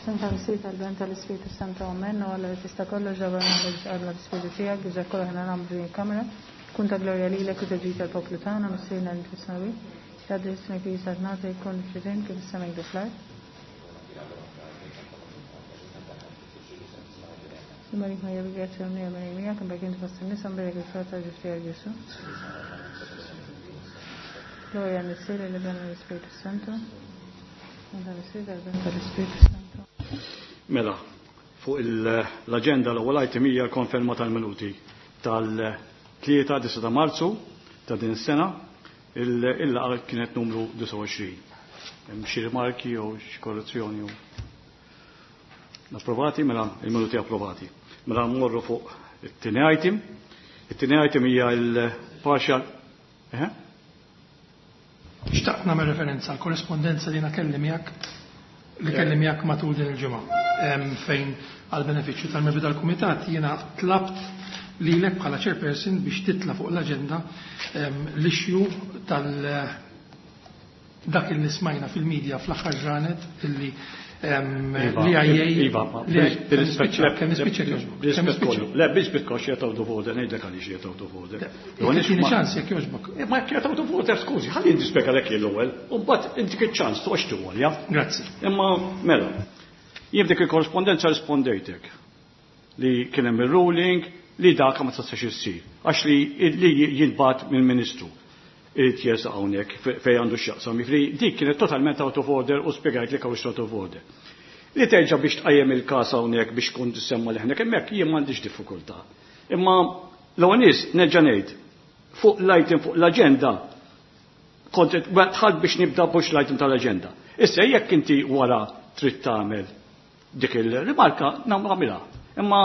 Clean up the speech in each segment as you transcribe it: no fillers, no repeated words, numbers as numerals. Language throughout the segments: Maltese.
F'isem tal-Missier tal-Ben tal-Ispirtu Santu Amen. O Alla li tista' kollox ġabar magħna biex tqarrna bl-Ispirtu tiegħek biex dak kollu aħna nagħmlu f'din il-kamra tkun ta' glorja lilek u ta' ġid għall-poplu tagħna, Missierna li fis-smewwiet. Jgħaddi ismek li saltnatek jkun f'xitien kif is-sema jgħidu fl-art. Marik Marija bil-grazzja u l Marija miegħek, imbagħad inti fost in-nisa mbierek il-frott tal-ġuf tiegħek Ġesù. Glorja l-Missier, l-Iben u l-Ispirtu Santu. Mela, fuq l-agenda l-ewwel item hija l-konferma tal-minuti tal-3 9 ta' Marzu ta' din is-sena il-laqgħa kienet numru 29. Hemm xi rimarki jew xi korrezzjoni jew Approvati, mela il-minuti approvati. Mela mmorru fuq it-tieni item. It-tieni item hija l-partial eh? Xtaqt nagħmel referenza għal korrespondenza li kelli miegħek li kelli miegħek matul din il-ġimgħa fejn għal benefiċċju tal-membri tal-kumitat jiena tlabt lilek bħala chairperson biex titla fuq l-aġenda l-issue tal dak li smajna fil-medja fl-aħħar ġranet illi l-IA. Iva, bil-rispett Le, biex bitkox jgħet out of order, ngħidlek għaliex jgħet out of order. Tini ċans jekk jogħġbok. Ma jekk jgħet out of order, skużi, ħalli nispjega lek l-ewwel, u mbagħad intik iċ-ċans toqgħodx tiwolja. Grazzi. Imma mela, jien dik il-korrespondenza rispondejtek li kien hemm ir-ruling li dak ma tistax issir għax li li jintbagħat mill-Ministru irid jersaq hawnhekk fejn għandu x'jaqsam. Jiġifieri dik kienet totalment out of order u spjegajt li hawnx out of order. Li terġa' biex tqajjem il-każ hawnhekk biex tkun tissemma leħnek hemmhekk jien m'għandix diffikultà. Imma l-ewwel nies nerġa' ngħid fuq l-item fuq l-aġenda kont dħalt biex nibda bux l-item tal-aġenda. Issa jekk inti wara trid tagħmel dik il-rimarka nagħmilha. Imma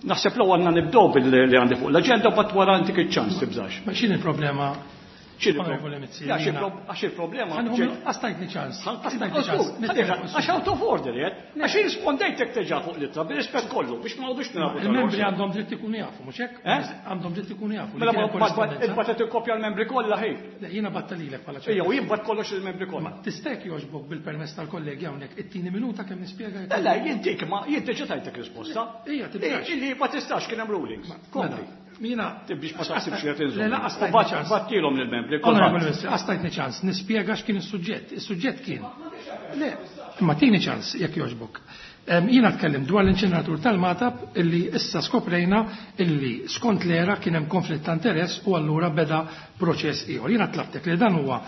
naħseb l għandna nibdew billi għandi fuq l-aġenda bat wara intik iċ-ċans tibżax. Ma x'inhi il-problema? Għax il-problema. Għastajtni ċans. Għastajtni ċans. Għax out of order, jed. Għax rispondejtek teġa fuq l-ittra, bil-rispett kollu, biex ma għodux nilagħbu. Il-membri għandhom dritt ikunu jafu, mhux hekk? Għandhom dritt ikunu jafu. Mela il-batet il-kopja l-membri kollha ħej. Le, jiena batta lilek bħala ċertu. Ejja, jien bat kollox il-membri kollha. Tista' jekk jogħġbok bil-permess tal-kollegi hawnhekk it-tieni minuta kemm nispjega. Le, le, jien dik ma jien diġà tajtek risposta. Ejja, tibdax. Illi ma tistax kien hemm rulings. Kompli. Mina. Biex ma taħsibx li qed Le, la, għastajtni ċans. Battilhom lill-membri. Onorevoli Ministru, għastajtni ċans nispjega x'kien is-suġġett. Is-suġġett kien. Le, imma tini ċans jekk jogħġbok. Jiena tkellim dwar l-inċineratur tal-Magħtab illi issa skoprejna illi skont l-era kien hemm konflitt ta' interess u allura beda proċess ieħor. Jiena tlabtek li dan huwa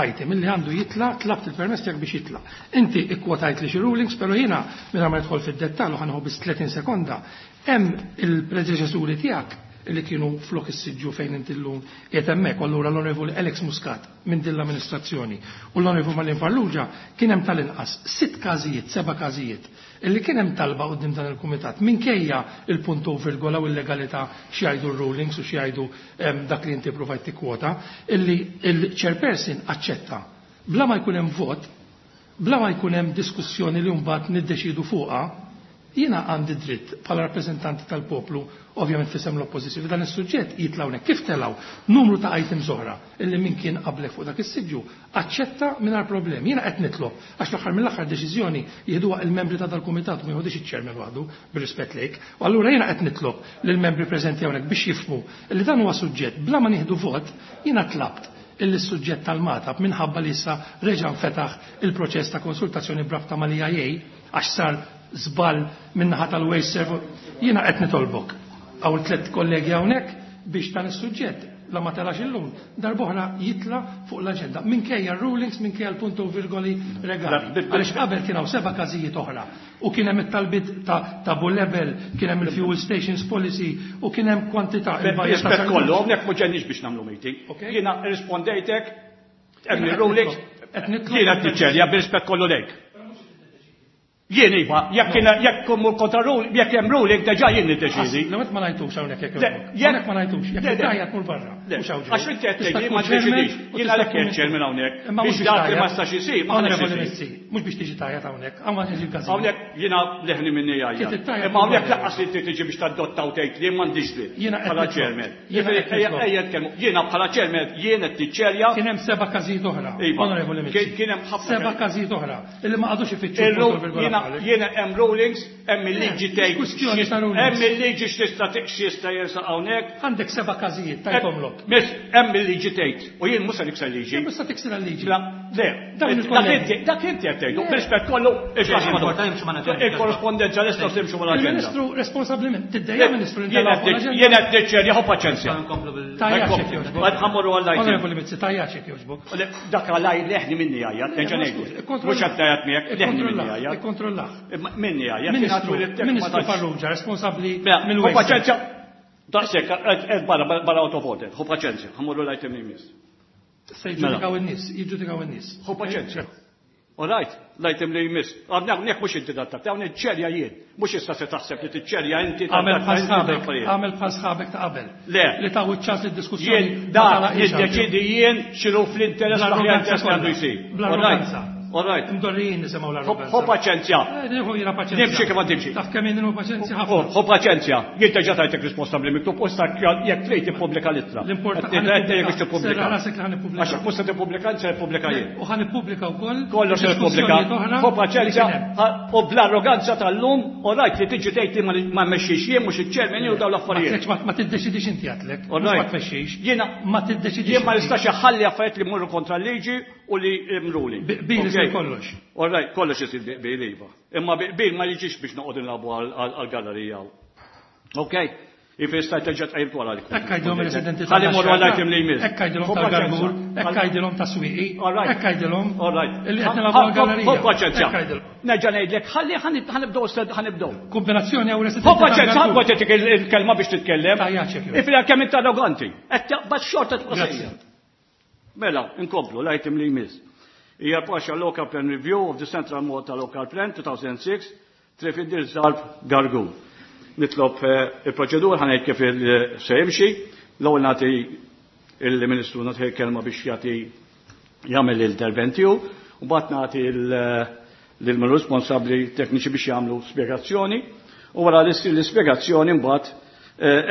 item illi għandu jitla, tlabt il-permess tiegħek biex jitla. Inti ikkwotajt li xi rulings, però jiena mingħajr ma nidħol fid-dettall u ħa nieħu biss 30 sekonda, hemm il-predeċessuri tiegħek li kienu flok is-siġġu fejn inti llum qiegħed hemmhekk, allura l-Onorevoli Alex Muscat minn din l-amministrazzjoni u l-Onorevoli Marlene Farrugia kien hemm tal-inqas sitt każijiet, seba' każijiet illi kien hemm talba quddiem dan il-kumitat minkejja il-punto virgola u l-legalità x'jgħidu r-rulings u x'jgħidu dak li inti provajt tikkwota, illi il-chairperson aċċetta bla ma jkun hemm vot, bla ma jkun hemm diskussjoni li mbagħad niddeċidu fuqha, jiena għandi dritt bħala rappreżentanti tal-poplu, ovvjament fisem l-oppożizzjoni, dan is-suġġett jitla' hawnhekk. Kif telgħu numru ta' items oħra illi min kien qablek fuq dak is-siġġu aċċetta mingħajr problemi. Jiena qed nitlob għax l-aħħar mill-aħħar deċiżjoni jieħduha il-membri ta' dal-kumitat u ma jieħudix iċ-chairman waħdu bir-rispett lejk. U allura jiena qed nitlob lill-membri preżenti hawnhekk biex jifhmu li dan huwa suġġett bla ma nieħdu vot, jiena tlabt illi s-suġġett tal-Magħtab minħabba li issa reġa' nfetaħ il-proċess ta' konsultazzjoni b'rabta mal-EIA għax sar żball min-naħa tal-Waste Serve. Jiena qed nitolbok hawn tliet kollegi hawnhekk biex dan is-suġġett la ma telax illum darb'oħra jitla fuq l-aġenda minkejja r-rulings, minkejja l-punto virgoli regali. Għaliex qabel kien hawn seba' każijiet oħra u kien hemm it-talbiet ta' Bulebel, kien hemm il-fuel stations policy u kien hemm kwantità. Rispett kollu, hawnhekk mhux ġenniex biex nagħmlu meeting. Jiena rispondejtek, hemm ir-rulings, jiena qed niċċerja bir-rispett kollu lejk. Jien iva, jekk kien jekk mur kontra rule, jekk hemm ruling diġà jien niddeċiedi. Le ma ngħidux hawnhekk jekk jogħġbok. Hawnhekk ma ngħidux, jekk tgħajjat mur barra. Mhux hawn ġej. Għax inti qed tgħid li ma niddeċidix. Jien għalhekk qed chairman hawnhekk. Imma mhux Biex dak li ma jistax isir, ma Onorevoli ħaniex isir. Mizzi, mhux biex tiġi tgħajjat hawnhekk, hawn ma tiġi l-każin. Hawnhekk jiena leħni minni jgħajjat. Kif tittajjat Imma hawnhekk mur barra. lanqas li inti tiġi biex tadotta u tgħid li m'għandix dritt. Jiena qed Bħala nitlob. chairman. Jiena qed Ejja, nitlob. ejja nitkellmu. Jiena bħala chairman jien qed niċċerja. Kien hemm seba' każijiet oħra. Iva. Onorevoli Mizzi. Kien hemm ħafna Seba' każijiet. każijiet oħra illi ma qagħdux ifittxu Illum punto virgola jiena Jiena hemm rulings, hemm il-liġi tgħid. Kwistjoni ta' rulings. Hemm il-liġi x'tista' x'jista' jersaq hawnhekk. Għandek seba' każijiet tajthomlok. Miss, hemm il-liġi tgħid. U jien mhux se nikser liġi. Mhux se tiksir il-liġi. Le, dak inti qed tgħidu, b'rispett kollu il-korrispondenza lesta timxu mal-aġenda. Il-Ministru responsabbli tiddejja Ministru Jien qed niċċerja ħu paċenzja. Tajjax jogħġbok. Ħa mmorru għall Onorevoli Mizzi, tajjax jogħġbok. Dak għalaj leħni minni għajja, nerġa' ngħidu. Mhux qed tgħajjat miegħek, leħni minni għajja. Ikkontrollah. Minni għajja. Ministru Farrugia, responsabbli mill-Waste. Ħu paċenzja. Daqshekk, qed barra barra out of order. Ħu paċenzja, ħa mmorru l-item li jmiss. Se jiġġudikaw in-nies, jiġġudikaw in-nies. Ħu paċenzja. All right, l-item li jmiss. Hawnhekk mhux inti dattak, hawn iċċerja jien. Mhux issa se taħseb li tiċċerja inti. Għamel bħal sħabek, għamel bħal sħabek ta' qabel. Le. Li taw iċ-ċans id-diskussjoni. Jien da jiddeċidi jien x'inhu fl-interess l-aħjar interess li għandu jsir. Bl-arroganza. All right. Imdorrijin nisimgħu l-arroganza. Ħu paċenzja. Nieħu jiena paċenzja. Nimxi kif għad timxi. Taf kemm jien paċenzja ħafna. Ħu paċenzja. Jien diġà tajtek risposta bli miktub u issa jekk trid tippubblika l-ittra. L-importanti biex tippubblika. Rasek li ħa nippubblika. Għax mhux se tippubblika, se nippubblika jien. U ħa nippubblika wkoll. Kollox se nippubblika. diskussjonijiet Ħu paċenzja li kien hemm. u bl-arroganza tal-lum u rajt li tiġi tgħid li ma mmexxix jien mhux iċ-chairman jew dawn l-affarijiet. Ma tiddeċidix inti għatlek. All Mhux ma right. tmexxix. Jiena Ma tiddeċidix. Jien ma inti. nistax iħalli affarijiet li mmorru kontra l-liġi u li mruli. Bil isir kollox. All right, kollox isir bil iva. Imma bil ma jiġix biex noqgħod nilagħbu għall-gallerija. Ok? Ifis ta' terġa' tqajjimt wara li. Hekk għajdilhom ir-residenti Ħalli mmorru għall-item li jmiss. Hekk għajdilhom tal-Gargur, hekk għajdilhom ta' Swieqi, All right. hekk għajdilhom All right. illi qed nilagħbu għall-gallerija. Ħu paċenzja. Hekk għajdilhom. Nerġa' ngħidlek, ħalli ħa nibdew ħa nibdew. Kombinazzjoni hawn residenti. Ħu paċenzja, tal-Gargur. ħa titik il-kelma biex titkellem. Tajjaċ jekk jogħġbok. Ifri kemm int arroganti. Qed taqbad xorta tibqa' Grazzi. sejjer. Mela, inkomplu l-item li jmiss. Hija partial local plan review of the Central Malta Local Plan 2006, Triq Fidil Zarb Gargur. Nitlob il-proċedur ħa ngħid kif se jimxi. L-ewwel nagħti il-Ministru nagħti kelma biex jagħti jagħmel l-intervent tiegħu, u mbagħad nagħti lil responsabbli tekniċi biex jagħmlu spjegazzjoni. U wara li ssir l-ispjegazzjoni mbagħad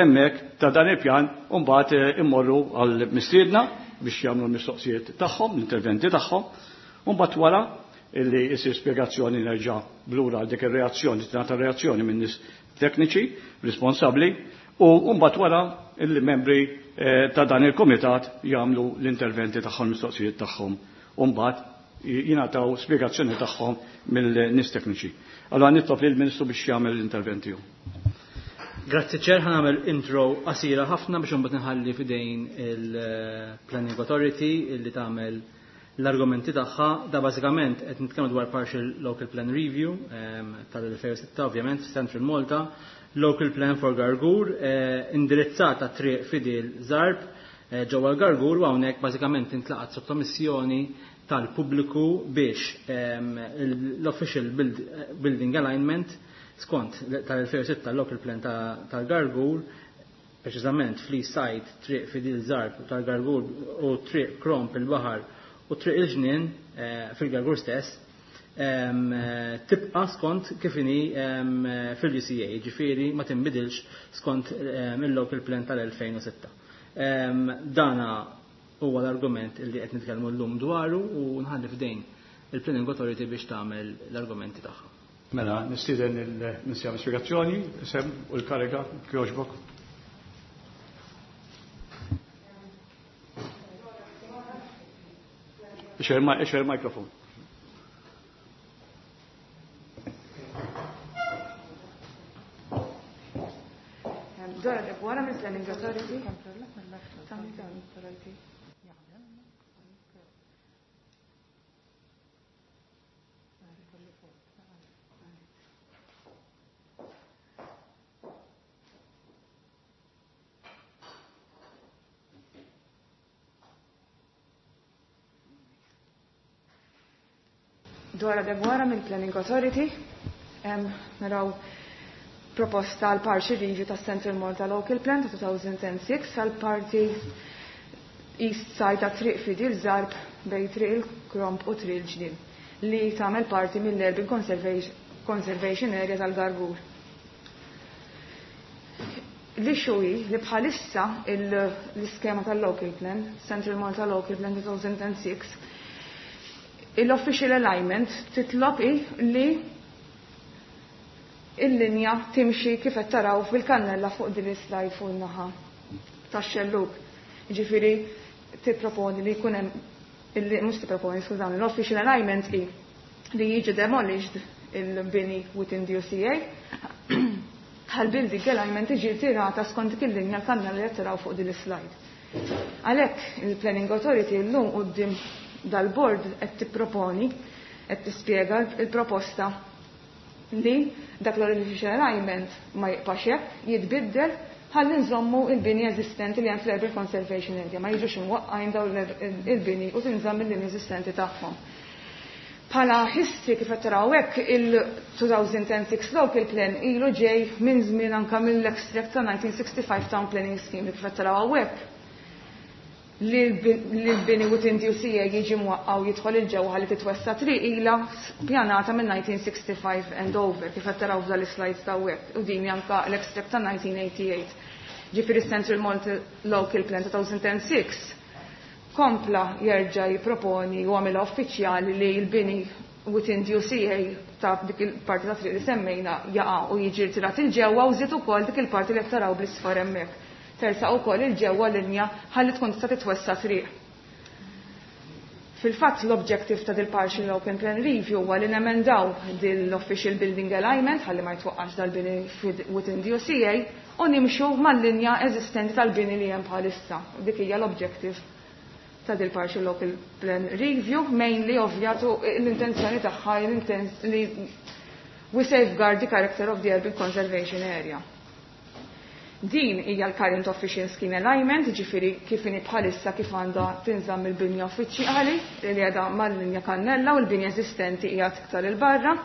hemmhekk ta' dan il-pjan u mbagħad immorru għal mistiedna biex jagħmlu l-mistoqsijiet tagħhom, l-interventi tagħhom, u mbagħad wara illi jsir spjegazzjoni nerġa' blura għal dik ir-reazzjoni, tingħata reazzjoni minn nies tekniċi responsabbli, u mbagħad wara il-membri ta' dan il-kumitat jagħmlu l-interventi tagħhom, mistoqsijiet tagħhom, u mbagħad jingħataw spjegazzjoni tagħhom mill-nies tekniċi. Allora nitlob lill-Ministru biex jagħmel l-intervent tiegħu. Grazzi ċer, ħa nagħmel intro qasira ħafna biex imbagħad nħalli f'idejn il-Planning Authority illi tagħmel l-argumenti tagħha. Da bażikament qed nitkellmu dwar Partial Local Plan Review tal-2006 ovvjament Central Malta, Local Plan for Gargur, indirizzata triq Fidil Zarb ġewwa l-Gargur, u hawnhekk bażikament intlaqat sottomissjoni tal-pubbliku biex l-Official Building Alignment skont tal-2006 Local Plan tal-Gargur, preċiżament fl-East Side triq Fidil Zarb tal-Gargur u triq Kromp il-Baħar u triq il-Ġnien fil-Gargur stess, tibqa skont kif inhi fil-UCA, ġifieri ma tinbidilx skont il-Local Plan tal-2006. Dana huwa l-argument li qed nitkellmu llum dwaru u nħalli f'dejn il-Planning Authority biex tagħmel l-argumenti tagħha. Mela, nistieden il-Ministru għall-Ispjegazzjoni, isem u l-kariga, kjoġbok. Ixer il-mikrofon. Dora Debuara mill Planning Authority. Dora Debuara mill Planning Authority. Naraw proposta għal partial review ta' Central Malta Local Plan ta' 2006 għal parti East Side ta' Triq Fidil Zarb bej Triq il-Kromp u Triq il-Ġnien li tagħmel parti mill-Urban Conservation Area tal-Gargur. L-issue hi li bħalissa l-iskema tal-Local Plan, Central Malta Local Plan 2006, l-Official Alignment titlob li il-linja timxi kif qed taraw fil-kannella fuq din is-slide fuq in-naħa tax-xellug. Jiġifieri tipproponi li jkun hemm mhux tipproponi, skużawni, l-official alignment hi li jiġi demolished il-bini within the UCA bħal building alignment tiġi tirata skont dik il-linja l-kannella li qed taraw fuq din is-slide. Għalhekk il-Planning Authority llum quddiem dal-board qed tipproponi, qed tispjega l-proposta li dak l-official alignment ma jibqax hekk, jitbiddel ħalli nżommu il-bini eżistenti li hemm fl-Urban Conservation Area, ma jiġux imwaqqajn dawn il-bini u tinżamm il-linja eżistenti tagħhom. Bħala history kif qed taraw hekk il-2006 local plan ilu ġej minn żmien anke mill-extract ta' 1965 Town Planning Scheme li kif qed taraw hawnhekk li l-bini within the UCA jiġi mwaqqa' u jidħol il-ġewwa ħalli titwessa triq ilha pjanata minn 1965 and over kif qed taraw f'dan l-slides ta' hawnhekk u din anke l-extract ta' 1988. Ġifieri Central Malta Local Plan 2006 kompla jerġa' jipproponi u għamilha uffiċjali li l-bini within the UCA ta' dik il-parti ta' triq li semmejna jaqa' u jiġi rtirat il-ġewwa u żied ukoll dik il-parti li qed taraw bl-isfar hemmhekk. Tersaq ukoll il-ġewwa linja ħalli tkun tista' titwessa triq. Fil-fatt l-objective ta' dil-partial open plan review huwa li nemendaw dil-official building alignment ħalli ma jitwaqqax dal-bini within the UCA u nimxu mal-linja eżistenti tal-bini li hemm bħalissa. Dik hija l-objective ta' dil-partial local plan review, mainly ovvjatu l-intenzjoni tagħha li we safeguard the character of the urban conservation area. Din hija l-current official scheme alignment, ġifieri kif inhi bħalissa kif għandha tinżamm il-binja uffiċjali li qiegħda mal-linja kannella u l-binja eżistenti hija iktar 'il barra.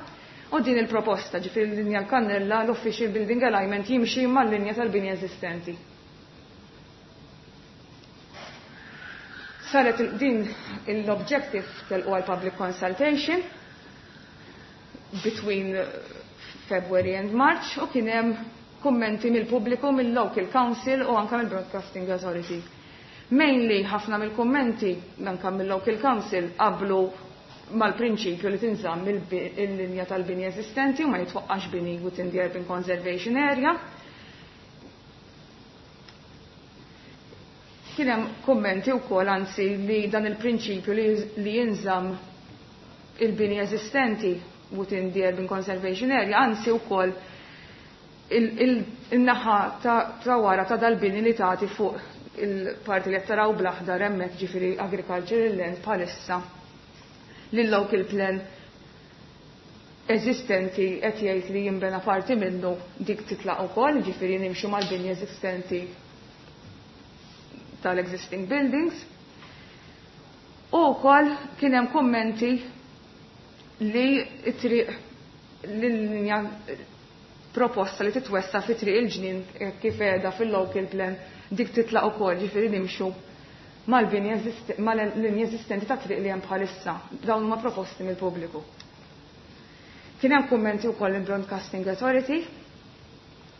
U din il-proposta, ġifieri l-linja kannella l-official building alignment jimxi mal-linja tal-binja eżistenti. Saret din l-objective telqu għal public consultation between February and March u kien hemm kummenti mill-pubbliku, mill-local council u anka mill-Broadcasting Authority. Mainly ħafna mill-kummenti anka mill-local council qablu mal-prinċipju li tinżamm il-linja tal-bini eżistenti u ma jitwaqqax bini within the urban conservation area. Kien hemm kummenti wkoll anzi li dan il-prinċipju li jinżamm il-bini eżistenti within the urban conservation area, anzi wkoll il-naħa ta' wara ta' dal-bini li tagħti fuq il-parti li qed taraw bl-aħdar hemmhekk, ġifieri agricultural land bħalissa li l-local plan eżistenti qed jgħid li jinbena parti minnu dik titlaq ukoll, ġifieri nimxu mal-bini eżistenti tal-existing buildings. U wkoll kien hemm kummenti li t-triq l-linja proposta li titwessa fi triq il-ġnien kif qiegħda fil-local plan dik titlaq ukoll, ġifieri nimxu mal-linja eżistenti ta' triq li hemm bħalissa. Dawn huma proposti mill-pubbliku. Kien hemm kummenti wkoll il-Broadcasting Authority,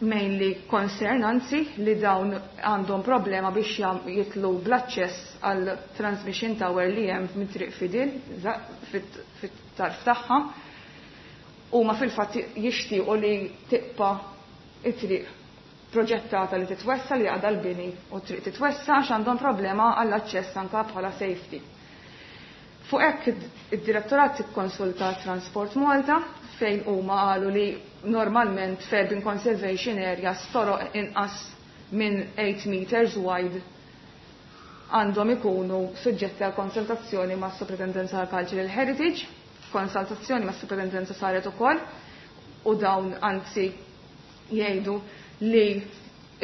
mainly concern anzi li dawn għandhom problema biex jitlu bl-aċċess għal transmission tower li hemm minn triq Fidil fit-tarf tagħha. Huma fil-fatt jixtiequ li tibqa' it-triq proġettata li titwessa li għadha l-bini u triq titwessa għax għandhom problema għall-aċċess anka bħala safety. Fuq hekk id-direttorat ikkonsulta Transport Malta fejn huma qalu li normalment f'urban conservation areas toroq inqas minn 8 meters wide għandhom ikunu suġġetti għal konsultazzjoni ma' Superintendenza għal Cultural Heritage, konsultazzjoni ma' Superintendenza saret ukoll u dawn anzi jgħidu li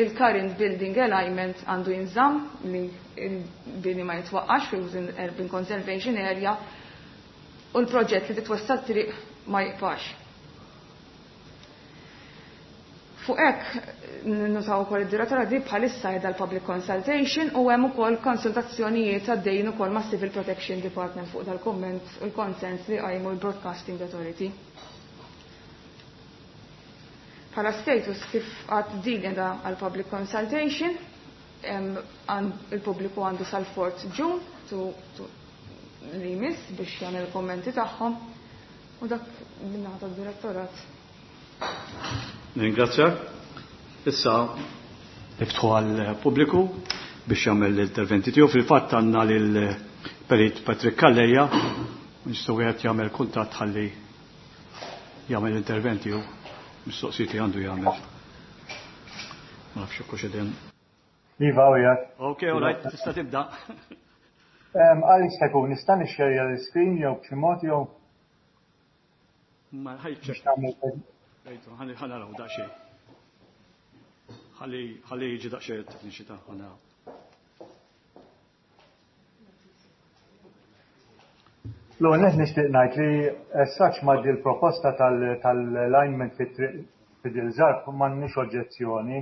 il-current building alignment għandu jinżamm li il-bini ma jitwaqqax fi urban conservation area u l-proġett li titwessa triq ma jibqax. Fuq hekk nutaw ukoll id-direttora di bħalissa qiegħda l-public consultation u hemm ukoll konsultazzjonijiet għaddejjin ukoll ma' Civil Protection Department fuq dal-komment u l-konsens li qajmu l-Broadcasting Authority. Bħala status kif għad din qiegħda għal public consultation, il-pubbliku għandu sal-4 June li jmiss biex jagħmel kommenti tagħhom u dak min-naħa tad-direttorat. Ningrazzjak. Issa niftħu għall-pubbliku biex jagħmel l-interventi tiegħu. Fil-fatt għandna lil Perit Patrick Calleja, nistgħu wieħed jagħmel kuntatt ħalli jagħmel l-intervent tiegħu, mistoqsijiet li għandu jagħmel. Ma nafx hekk hux qegħdin. Iva, u jgħat. Ok, all right, tista' tibda. Għal jista' jkun nista' nixxerja l-screen jew b'xi mod jew. Ma ħajċ. Ħa naraw daqsxejn. Ħalli jiġi daqsxejn it-tekniċi ta' ħa naraw. L-ewwel nett nixtieq ngħid li as such ma' dil-proposta tal-alignment fit-triq Fidil Zarb m'għandniex oġġezzjoni.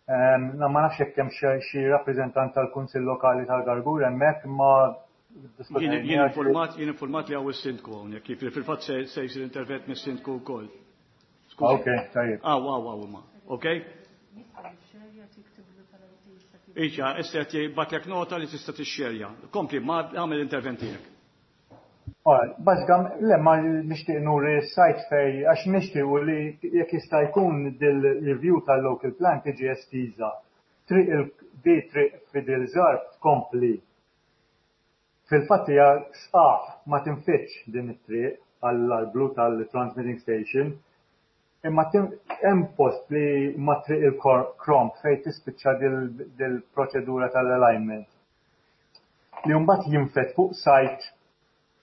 Ma nafx jekk hemm xi rappreżentant tal-Kunsill Lokali tal-Gargur hemmhekk imma Jien informat, jien informat li hawn is-sindku hawnhekk, jiġifieri fil-fatt se jsir intervent mis-sindku wkoll. Ok, tajjeb. Aw, aw, aw, imma. Ok? Iċa, issa qed jibgħatlek nota li tista' tixxerja. Kompli, ma għamel intervent tiegħek. Bażikam, le ma nixtieq nuri s-sajt fej, għax nixtiequ li jekk jista' jkun dil-review tal-local plan tiġi estiża. Triq il-di triq Fidel Zarb tkompli. Fil-fatt hija sqaq ma tinfitx din it-triq għall-arblu tal-transmitting station. Imma hemm post li ma triq il-Kromp fejn tispiċċa dil-proċedura tal-alignment. Li mbagħad jinfet fuq site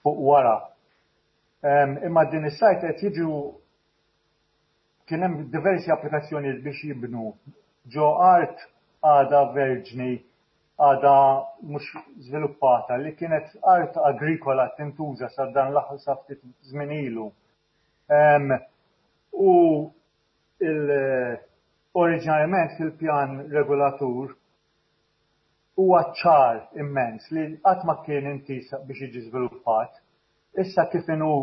fuq wara. Imma din is-site qed jiġu kien hemm diversi applikazzjonijiet biex jibnu ġo art għadha verġni għadha mhux żviluppata li kienet art agrikola tintuża sa dan l-aħħar sa ftit żmien ilu. U oriġinarjament fil-pjan regolatur huwa ċar immens li qatt ma kien intiż biex jiġi żviluppat. Issa kif inhu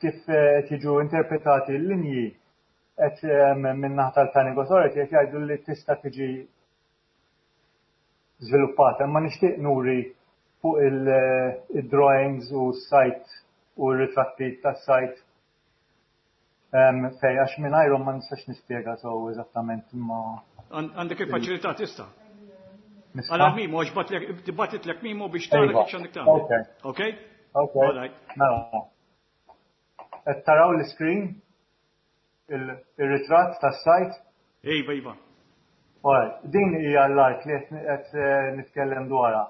kif qed jiġu interpretati l-linji qed min-naħa tal-Planning Authority qed jgħidu li tista' tiġi żviluppata, imma nixtieq nuri fuq il-drawings u s-site u r-ritratti tas-site fej għax mingħajrhom ma nistax nispjega sew eżattament imma. Għandek il-faċilità tista'. Għala Mimo, għax tibgħatitlek Mimo biex tara kif x'għandek tagħmel. Ok? Ok. Mela. Qed taraw l-screen? Il-ritratt tas-sajt? Iva, iva. Din hija l-art li qed nitkellem dwarha.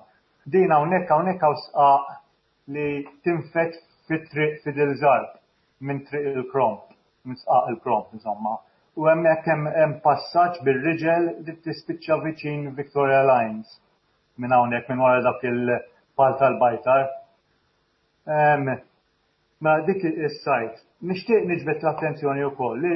Din hawnhekk hawnhekk hawn sqaq li tinfet fit-triq Fidel Zarb minn triq il-Kromp, minn sqaq il-Kromp insomma. U hemmhekk hemm passaġġ bir-riġel li tispiċċa viċin Victoria Lines minn hawnhekk minn wara dak il-pal tal-bajtar. Mela dik is-sajt. Nixtieq niġbed l-attenzjoni wkoll li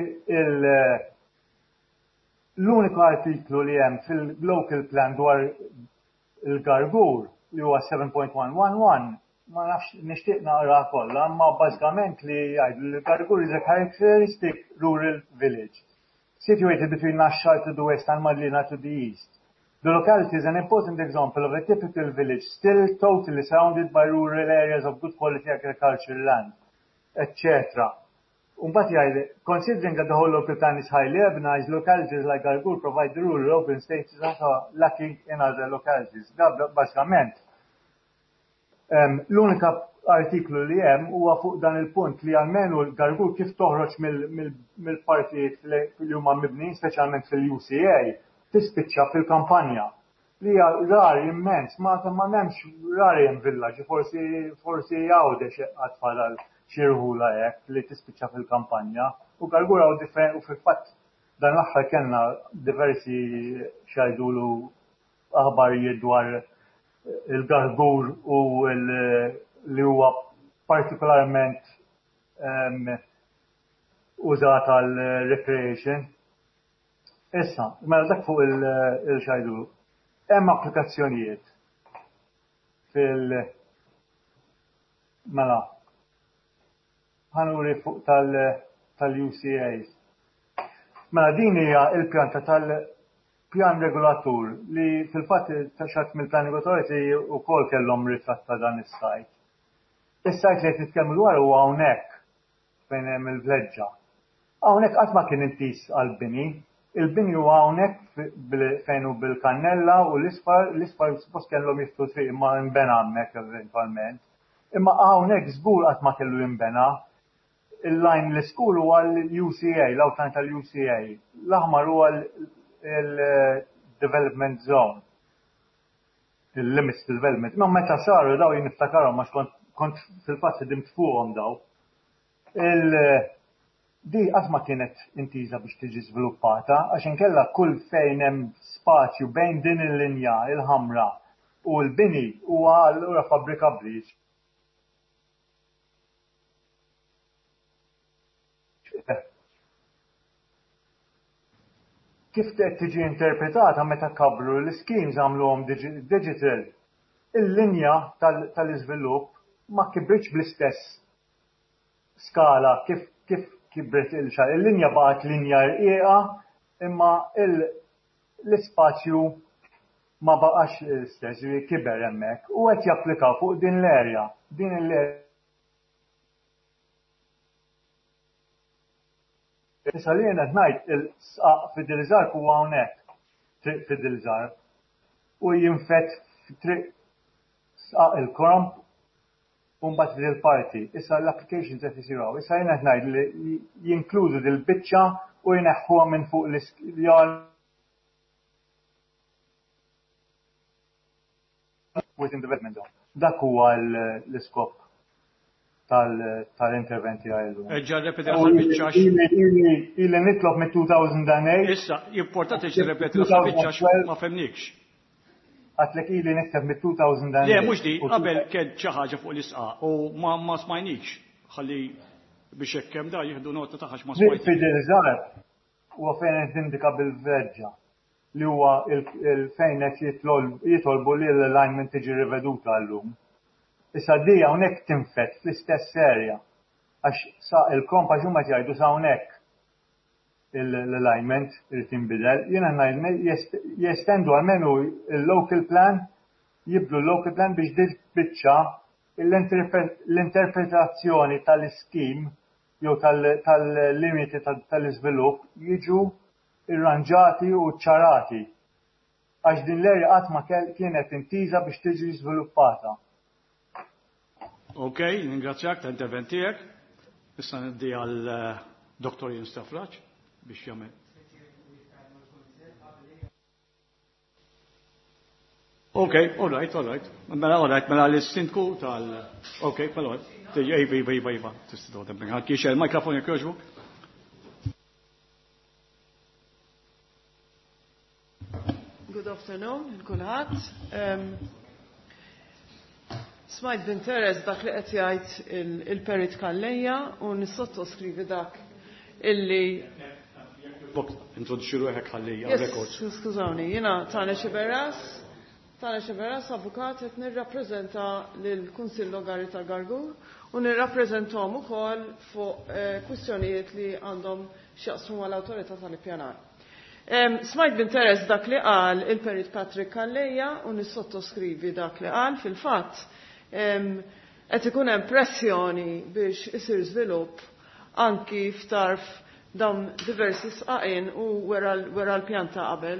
l-uniku artiklu li hemm fil-local plan dwar il-Gargur li huwa 7.111 ma nafx nixtieq naqra kollha, imma bażikament li jgħidu li l-Gargur is a characteristic rural village situated between Naxxar to the west and Madlina to the east. The locality is an important example of a typical village still totally surrounded by rural areas of good quality agricultural land, etc. Mbagħad jgħid, considering that the whole local plan is highly urbanized, localities like Gargur provide the rural open spaces that are lacking in other localities. Da bażikament l-unika artiklu li hemm huwa fuq dan il-punt li almenu l-Gargur kif toħroġ mill-partijiet li huma mibnin, speċjalment fil-UCA, tispiċċa fil-kampanja. Li hija rari immens, ma m'hemmx rari hemm villaġġi, forsi Għawdex għad fadal xi rħula hekk li tispiċċa fil-kampanja. U Gargur hawn u fil-fatt dan l-aħħar kellna diversi x'jgħidulu aħbarijiet dwar il-Gargur u li huwa partikolarment użat għal recreation. Issa, mela dak fuq il-xajdu. Hemm applikazzjonijiet fil- mela ħanuri fuq tal-UCAs. Mela din hija il-pjanta tal-pjan regolatur li fil-fatt taxxat mill-Planning Authority wkoll kellhom ritratt ta' dan is-sajt. Is-sajt li qed nitkellmu dwar huwa hawnhekk fejn hemm il-vleġġa. Hawnhekk qatt ma kien intiż għall-bini. Il-bini huwa hawnhekk fejn hu bil-kannella u l-isfar, l-isfar suppost kellhom jiftħu triq imma nbena hemmhekk eventwalment. Imma hawnhekk żgur qatt ma kellu jinbena. Il-line l-iskur huwa l-UCA, l-outline tal-UCA. L-aħmar huwa l-development zone. Il-limits development. Ma meta saru daw jien niftakarhom għax kont fil-fatt ħdimt fuqhom daw. Di qatt ma kienet intiża biex tiġi żviluppata għax inkella kull fejn hemm spazju bejn din il-linja il-ħamra u l-bini huwa allura fabbrikabbli. Kif qed tiġi interpretata meta kabru l-schemes għamluhom digital, il-linja tal-iżvilupp ma kibritx bl-istess skala kif kibret il-xar. Il-linja baqgħet linja rqiqa imma l-ispazju ma baqax l-istess, kiber hemmhekk u qed japplikaw fuq din l-area. Din l-area Issa li jien qed ngħid il-sqaq Fidel Zarb huwa hawnhekk, triq Fidel Zarb, u jinfed triq sqaq il-Kromp u mbagħad f'dil parti. Issa l-applications qed isiru hawn. Issa jien qed ngħid li jinkludu dil-biċċa u jneħħuha minn fuq l within development zone. Dak huwa l-iskop tal-interventi għajlu. Ġa repeti l-aħħar biċċa. Ili nitlob mit-2008. Issa, importanti ġi repeti l-aħħar biċċa ma femnikx. Għatlek ili nikteb mit-2008. Le, mhux di, qabel kien xi ħaġa fuq l-isqa u ma smajnikx. Ħalli biex hekk hemm da jieħdu nota ta' ma smajnikx. Fidel Zarb huwa fejn qed indika bil-verġa li huwa il-fejn qed jitolbu li l-alignment tiġi riveduta llum. Issa di hawnhekk tinfet fl-istess area għax sa il-komp għax huma jgħidu sa hawnhekk l-alignment irid jinbidel. Jiena ngħid jestendu almenu il-local plan, jibdlu l-local plan biex din biċċa l-interpretazzjoni tal-iskim jew tal-limiti tal-iżvilupp jiġu irranġati u ċarati għax din l-area qatt ma kienet intiża biex tiġi żviluppata. Ok, ningrazzjak ta' intervent tiegħek. Issa ngħaddi għal Dr. Ian Stafrace biex jagħmel. Ok, all right, all right. Mela, all right, mela l-sindku tal... Ok, mela, iva, iva, iva, iva, tista' toqgħod hemmhekk. Il-mikrofon jekk jogħġbok. Good afternoon, il-kulħadd. Smajt b'interess dak li qed jgħid il-Perit Calleja u nissottoskrivi dak illi Introduċi ruħek ħalli records. Skużawni, jiena Tane Xiberras, Tane Xiberras avukat qed nirrappreżenta lill-Kunsill Lokali tal-Gargur u nirrappreżentahom ukoll fuq kwistjonijiet li għandhom x'jaqsmu mal-awtorità tal-ippjanar. Smajt b'interess dak li qal il-Perit Patrick Calleja u nissottoskrivi dak li qal fil-fatt qed ikun hemm pressjoni biex isir żvilupp anki f'tarf dawn diversi sqaqin u wera l-pjanta qabel.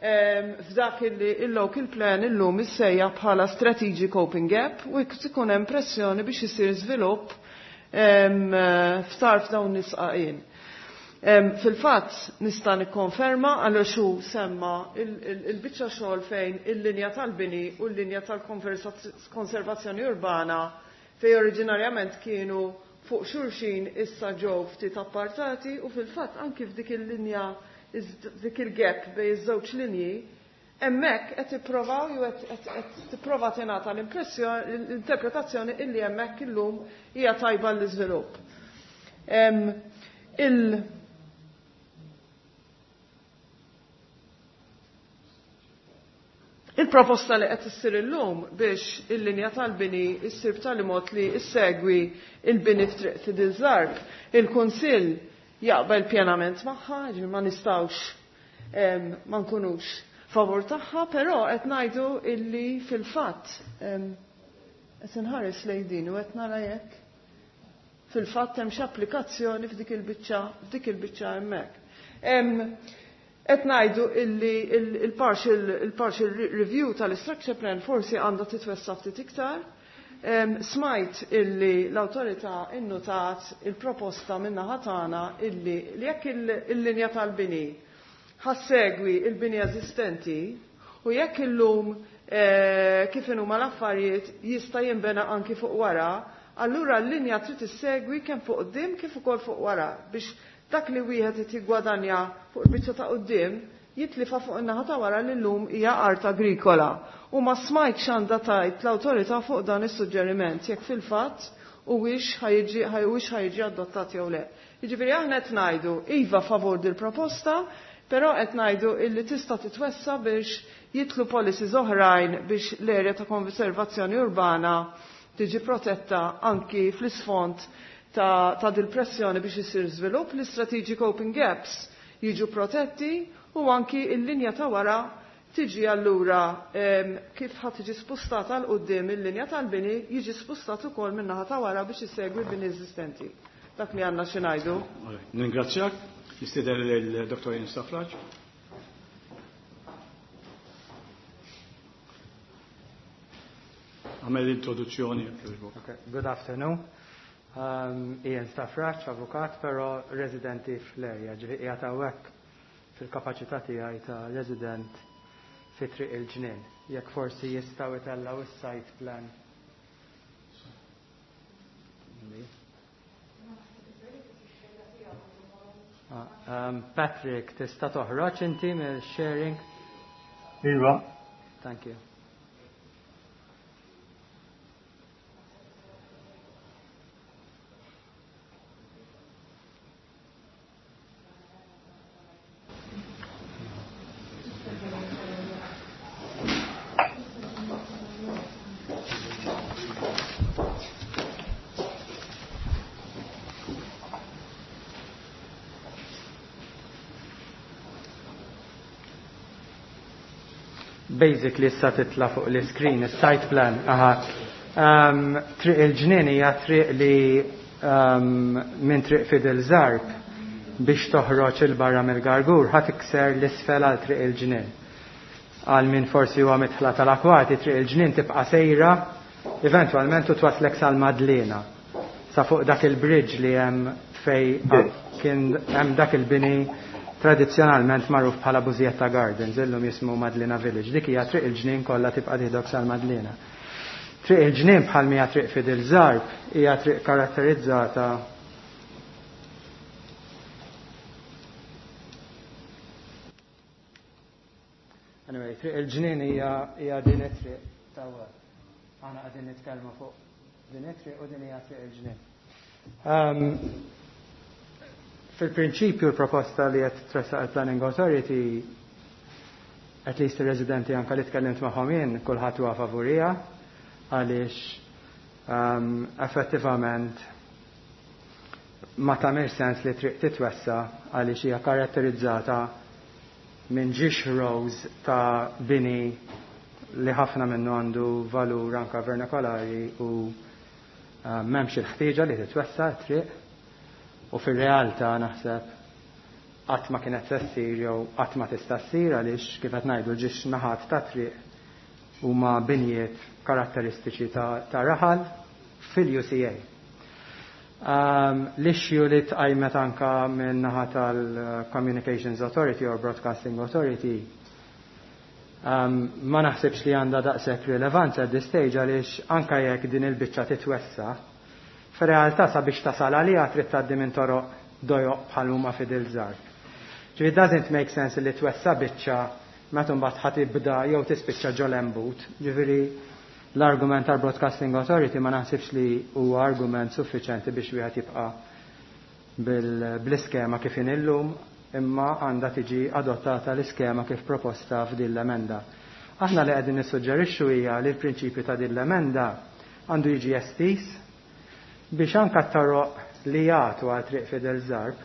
F'dak illi il-local plan illum issejjaħ bħala strategic coping gap u ikun hemm pressjoni biex isir żvilupp f'tarf dawn is-sqaqin. Fil-fatt nista' nikkonferma għal xu semma il-biċċa xogħol fejn il-linja tal-bini u l-linja tal-konservazzjoni urbana fejn oriġinarjament kienu fuq xulxin issa ġew ftit appartati u fil-fatt anki f'dik il-linja dik il-gap bejn iż-żewġ linji hemmhekk qed tipprovaw jew qed tipprova tingħata l-impressjoni l-interpretazzjoni illi hemmhekk illum hija tajba l-iżvilupp. Il-proposta li qed issir illum biex il-linja tal-bini issir b'tali mod li issegwi il-bini f'Triq Fidel Zarb, il-Kunsill jaqbel pjenament magħha, ġifieri ma nistgħux ma nkunux favur tagħha, però qed ngħidu illi fil-fatt qed inħares lejn din u qed nara jekk. fil-fatt hemm xi applikazzjoni f'dik il-biċċa f'dik il-biċċa hemmhekk. Qed ngħidu illi il-partial il-partial review tal-structure plan forsi għandha titwessa ftit iktar. Smajt illi l-awtorità innutat il-proposta min-naħa tagħna illi li jekk il-linja tal-bini ħassegwi il-bini eżistenti u jekk illum kif inhuma l-affarijiet jista' jinbena anki fuq wara, allura l-linja trid issegwi kemm fuq quddiem kif ukoll fuq wara biex dak li wieħed qed jiggwadanja fuq il-biċċa ta' quddiem jitlifa fuq in-naħa ta' wara li llum hija art agrikola. U ma smajtx għandha tgħid l-awtorità fuq dan is-suġġeriment jekk fil-fatt huwiex ħa jiġi ħa jiġi adottat jew le. Jiġifieri aħna qed ngħidu iva favur dil-proposta, però qed ngħidu illi tista' titwessa biex jidħlu policies oħrajn biex l-erja ta' konservazzjoni urbana tiġi protetta anki fl-isfond ta', ta dil-pressjoni biex isir żvilupp, l-strategic open gaps jiġu protetti u anki il-linja ta' wara tiġi allura kif ħa tiġi spostata 'l quddiem il-linja tal-bini jiġi spostat ukoll min-naħa ta' wara biex isegwi l-bini eżistenti. Dak li għandna xi ngħidu. Ningrazzjak. Nistieden lil Dr. Ian Stafrace. Għamel l-introduzzjoni. Okay. Good afternoon. Ian Stafrace, avukat, però residenti fl-area, ġifieri qiegħed hawnhekk fil-kapaċità tiegħi ta' resident fi Triq il-Ġnien. Jekk forsi jistgħu jtellgħu is-site plan. Patrick, tista' toħroġ inti mill-sharing? Iva. Thank you. Basically issa titla fuq l-screen, il-site plan. Aha. Triq il-Ġnien hija triq li minn Triq Fidel Zarb biex toħroġ il-barra mill-Gargur ħa tikser l-isfel għal Triq il-Ġnien. Għal min forsi huwa mitħla tal-akwati, Triq il-Ġnien tibqa' sejra eventwalment u twaslek sal-Madlena. Sa fuq dak il-bridge li hemm fej kien hemm dak il-bini tradizzjonalment magħruf bħala Busietta Gardens, illum jismu Madlena Village. Dik hija Triq il-Ġnien kollha tibqa' tieħdok sal-Madlena. Triq il-Ġnien bħal mija Triq Fidel Zarb hija triq karatterizzata Anyway, Triq il-Ġnien hija din it-triq ta' wara. Aħna qegħdin nitkellmu fuq din it-triq u din hija Triq il-Ġnien. Fil-prinċipju l-proposta li qed tressaq il-Planning Authority, at least il-residenti anka li tkellimt magħhom jien, kulħadd huwa favorija għaliex effettivament ma tagħmilx sens li triq titwessa għaliex hija karatterizzata minn ġiex rows ta' bini li ħafna minnu għandu valur anka vernakolari u m'hemmx il-ħtieġa li titwessa triq u fir-realtà naħseb qatt ma kienet se ssir jew qatt ma tista' ssir għaliex kif qed ngħidu ġiex naħat ta' triq huma binjiet karatteristiċi ta' raħal fil-UCA. L-issue li tqajmet anka minn naħa tal-Communications Authority or Broadcasting Authority ma naħsibx li għandha daqshekk rilevanza at this stage għaliex anka jekk din il-biċċa titwessa, fir-realtà sabiex tasal għaliha trid tgħaddi minn toroq dojoq bħal huma Fidel Zarb. Ġifieri it doesn't make sense li twessa biċċa meta mbagħad ħa tibda jew tispiċċa ġo lembut. Ġifieri l-argument tal-Broadcasting Authority ma naħsibx li huwa argument suffiċenti biex wieħed jibqa' bl-iskema kif illum imma għandha tiġi adottata l-iskema kif proposta f'din l-emenda. Aħna li qegħdin nissuġġerixxu hija li l-prinċipju ta' din l-emenda għandu jiġi estis biex anka t-toroq li jagħtu għal Triq Fidel Zarb,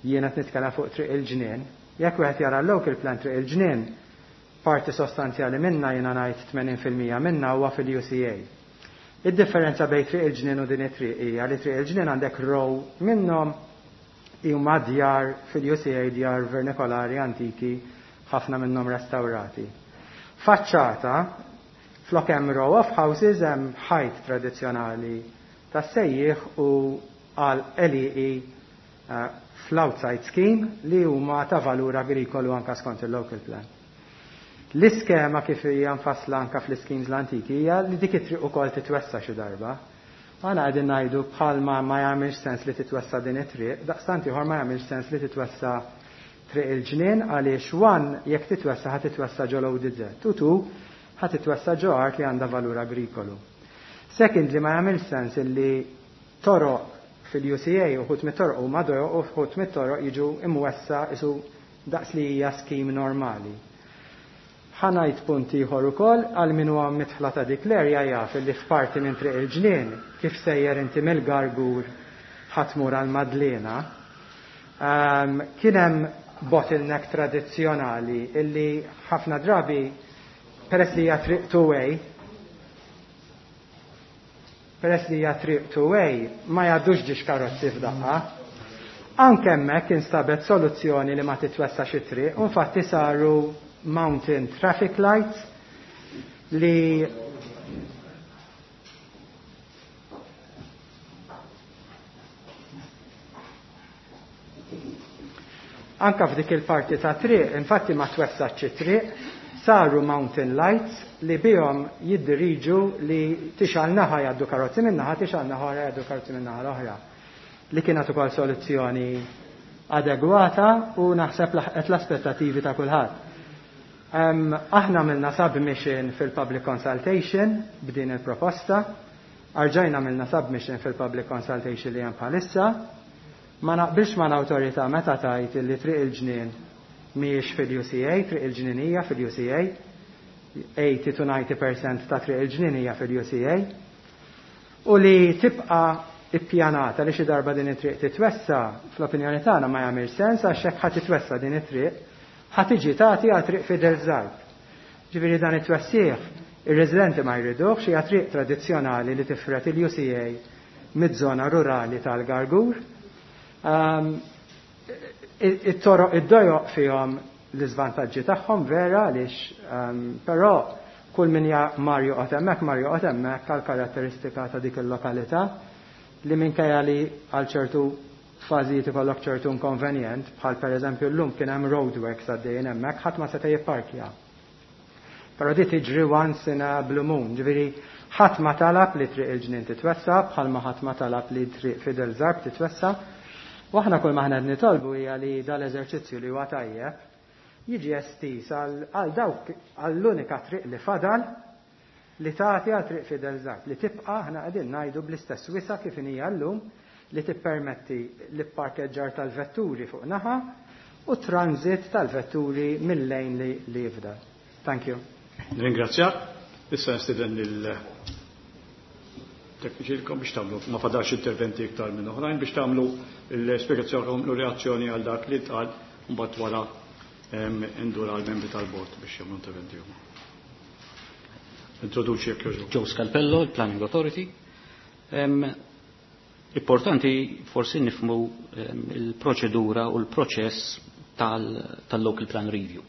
jiena qed nitkellem fuq Triq il-Ġnien, jekk wieħed jara l-local plan Triq il-Ġnien, parti sostanzjali minna jiena ngħid 80% minna huwa fil-UCA. Id-differenza bejn Triq il-Ġnien u din it-triq hija li Triq il-Ġnien għandek row minnhom huma djar fil-UCA, djar vernikolari antiki, ħafna minnhom restawrati. Faċċata, flok hemm row of houses hemm ħajt tradizzjonali tas-sejjieħ u għal LEE fl-outside scheme li huma ta' valur agrikolu anka skont il-local plan. L-iskema kif hija mfassla anka fl-schemes l-antiki hija li dik it-triq ukoll titwessa xi darba. Aħna qegħdin ngħidu bħalma ma jagħmilx sens li titwessa din it-triq, daqstant ieħor ma jagħmilx sens li titwessa Triq il-Ġnien għaliex one jekk titwessa ħa titwessa ġo l-ODZ u two ħa titwessa ġo art li għandha valur agrikolu. Secondly ma jagħmilx sens illi toroq fil-UCA uħud mit-toroq huma dojoq u uħud mit-toroq jiġu imwessa isu daqs li hija scheme normali. Ħa ngħid punt ieħor ukoll, għal min huwa midħla ta' dik l-area jaf illi f'parti minn Triq il-Ġnien, kif sejjer inti mill-Gargur ħa tmur għall-Madliena, kien hemm bottleneck tradizzjonali illi ħafna drabi peress li hija triq two-way, Peress li hija triq two-way, ma jgħaddux ġiex karozzi f'daqqa. Anke hemmhekk instabet soluzzjoni li ma titwessax it-triq u infatti saru mountain traffic lights li Anka f'dik il-parti ta' triq, infatti ma twessatx it-triq, saru mountain lights li bihom jiddiriġu li tixgħal naħa jgħaddu karozzi minn naħa, tixgħal naħa oħra jgħaddu karozzi minn naħa l-oħra. Li kienet ukoll soluzzjoni adegwata u naħseb laħqet l-aspettativi ta' kulħadd. Aħna għamilna submission fil-public consultation b'din il-proposta, arġajna għamilna submission fil-public consultation li hemm bħalissa. Ma naqbilx mal-awtorità meta tgħid illi Triq il-Ġnien mhijiex fil-UCA, Triq il-Ġnien hija fil-UCA, 80 to 90 percent ta' Triq il-Ġnien hija fil-UCA, u li tibqa' ippjanata li xi darba din it-triq titwessa, fl-opinjoni tagħna ma jagħmilx sens għax hekk ħa titwessa din it-triq, ħa tiġi tagħti għal Triq Fidel Zarb. Ġifieri dan it-twessigħ ir-residenti ma jriduhx, hija triq tradizzjonali li tifred il-UCA miż-żona rurali tal-Gargur. It-toroq id-dojoq fihom l-iżvantaġġi tagħhom vera għaliex però kull min mar joqgħod hemmhekk mar joqgħod hemmhekk għal karatteristika ta' dik il-lokalità li minkejja li għal ċertu fażijiet ikollok ċertu inkonvenjent, bħal pereżempju llum kien hemm roadworks għaddejjin hemmhekk ħadd ma seta' jipparkja. Però di tiġri once in a blue moon, ġifieri ħadd ma talab li Triq il-Ġnien titwessa' bħalma ħadd ma talab li Triq Fidel Zarb titwessa'. U aħna kull ma aħna qed nitolbu hija li dal-eżerċizzju li huwa tajjeb jiġi estiż għal dawk għall-unika triq li fadal li tagħti għal Triq Fidel Zarb li tibqa' aħna qegħdin ngħidu bl-istess wisa' kif inhija llum li tippermetti l-ipparkeġġar tal-vetturi fuq naħa u t-transit tal-vetturi mil-lejn li jifdal. Thank you. Nirringrazzjak. Issa nistieden lil tekniċi biex tagħmlu, ma fadalx interventi iktar minn oħrajn, biex tagħmlu l-spjegazzjoni u reazzjoni għal dak li tqal mbagħad wara ndur għal membri tal-bord biex jagħmlu interventi huma. Introduċi jekk jogħġbok. Joe Scalpello, il-Planning Authority. Importanti forsi nifmu il-proċedura u l-proċess tal-Local Plan Review.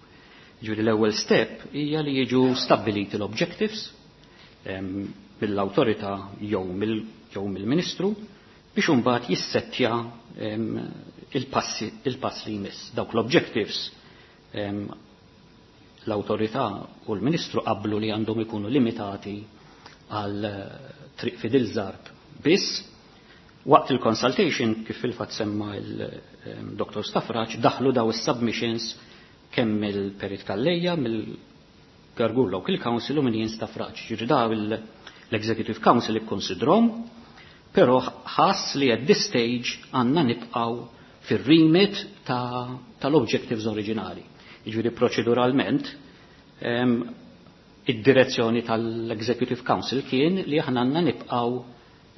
Ġifieri l-ewwel step hija li jiġu stabbiliti l-objectives mill-awtorità jew mill-Ministru biex imbagħad jissettja il-pass li jmiss. Dawk l-objectives l-awtorità u l-Ministru qablu li għandhom ikunu limitati għal Triq Fidel Zarb biss. Waqt il-consultation, kif fil-fatt semma il-Dr. Stafraċ, daħlu daw is-submissions kemm mill-Perit Calleja, mill-Gargur Local Council u minn Jien Stafraċ. Ġifieri daw l-Executive Council ikkonsidrom, però ħass li at this stage għandna nibqgħu fir-remit tal-objectives oriġinali. Ġifieri proċeduralment id-direzzjoni tal-Executive Council kien li aħna għandna nibqgħu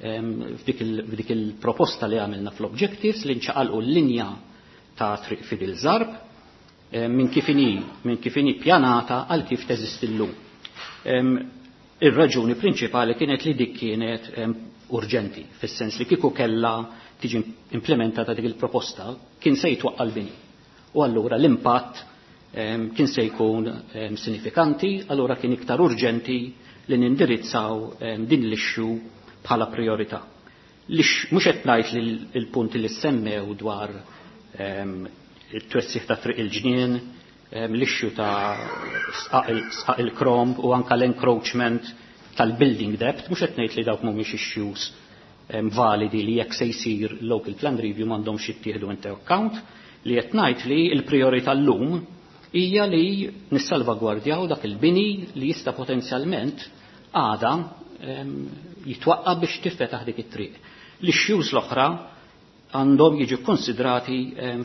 f'dik il-proposta li għamilna fl-objectives li nċaqalqu l-linja ta' Triq Fidel Zarb minn kif inhi pjanata għal kif teżisti llum. Ir-raġuni prinċipali kienet li dik kienet urġenti, fis-sens li kieku kellha tiġi implementata dik il-proposta kien se jitwaqqa' l-bini. U allura l-impatt kien se jkun sinifikanti, allura kien iktar urġenti li nindirizzaw din l-issue bħala priorità. Mhux qed ngħid li l-punti li semmew dwar it-twessiħ ta' triq il-ġnien, l-issue ta' sqaq il-Kromb u anka l-encroachment tal-building debt, mhux qed ngħid li dawk mhumiex issues validi li jekk se jsir local plan review m'għandhomx jittieħdu into account, li qed ngħid li l-priorità llum hija li nissalvagwardjaw dak il-bini li jista' potenzjalment għada jitwaqqa biex tifetaħ dik it-triq. L-issues l-oħra għandhom jiġu konsidrati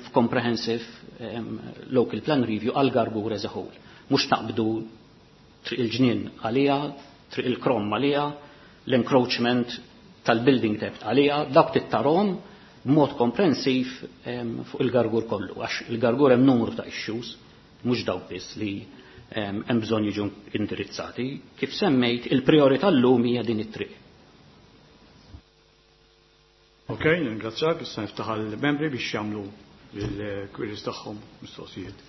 f'comprehensive local plan review għal Gargur as a whole. Mhux taqbdu triq il-ġnien għalija, triq il-Krom għalija, l-encroachment tal-building debt għalija, dawk tittarhom b'mod komprensiv fuq il-Gargur kollu, għax il-Gargur hemm numru ta' issues, mhux dawk biss li hemm bżonn jiġu indirizzati. Kif semmejt, il-priorità llum hija din it-triq. Ok, ringrazzjak, issa niftaħ għall-membri biex jagħmlu il-queries tagħhom, mistoqsijiet.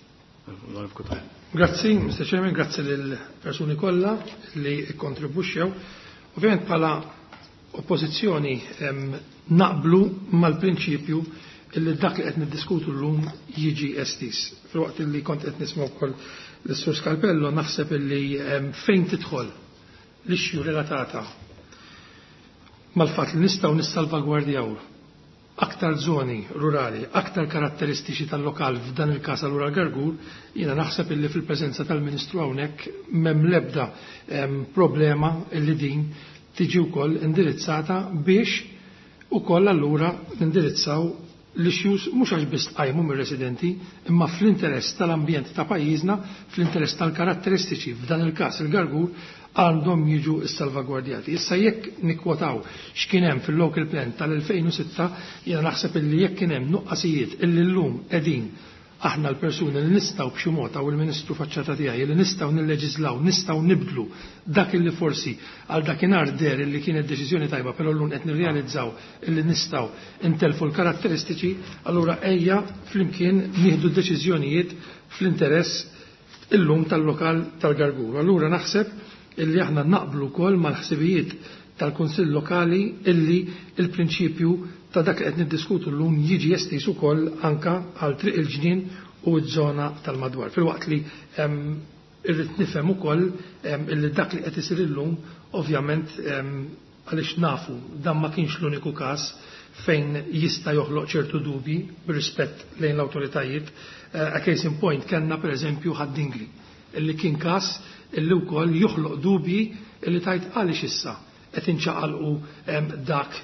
Grazzi, Mr. Chairman, grazzi lill-persuni kollha li kontribwixxew. Ovvjament bħala oppożizzjoni naqblu mal-prinċipju illi dak li qed niddiskutu llum jiġi estis. Filwaqt li kont qed nisma' wkoll l-Sur Scalpello, naħseb illi fejn tidħol l-issue relatata mal-fatt li nistgħu nissalvagwardjaw aktar zoni rurali, aktar karatteristiċi tal-lokal, f'dan il-każ allura Gargur, jiena naħseb illi fil-preżenza tal-Ministru hawnhekk m'hemm l-ebda problema illi din tiġi wkoll indirizzata biex ukoll allura nindirizzaw l-issues mhux għax biss tqajmu mir-residenti, imma fl-interess tal-ambjent ta' pajjiżna, fl-interess tal-karatteristiċi, f'dan il-każ il-Gargur, għandhom jiġu salvagwardjati. Issa jekk nikkwotaw x'kien hemm fil-local plan tal-2006, jiena naħseb illi jekk kien hemm nuqqasijiet illi llum qegħdin aħna l-persuni li nistgħu b'xi mod, hawn il-Ministru faċċata tiegħi, li nistgħu nilleġislaw, nistgħu nibdlu dak illi forsi għal dakinhar der illi kienet deċiżjoni tajba, però llum qed nirrealizzaw illi nistgħu intelfu l-karatteristiċi, allura ejja flimkien nieħdu deċiżjonijiet fl-interess illum tal-lokal tal-Gargur. Allura naħseb illi aħna naqblu wkoll mal-ħsibijiet tal-Kunsill Lokali illi il-prinċipju ta' dak li qed niddiskutu llum jiġi estis ukoll anka għal triq il-ġnien u ż-żona tal-madwar. Filwaqt li irrid nifhem ukoll illi dak li qed isir illum ovvjament, għaliex nafu dan ma kienx l-uniku każ fejn jista' joħloq ċertu dubi b'rispett lejn l-awtoritajiet. A case in point kellna pereżempju Ħad-Dingli, illi kien każ illi wkoll joħloq dubji illi tajt għaliex issa qed inċaqalqu dak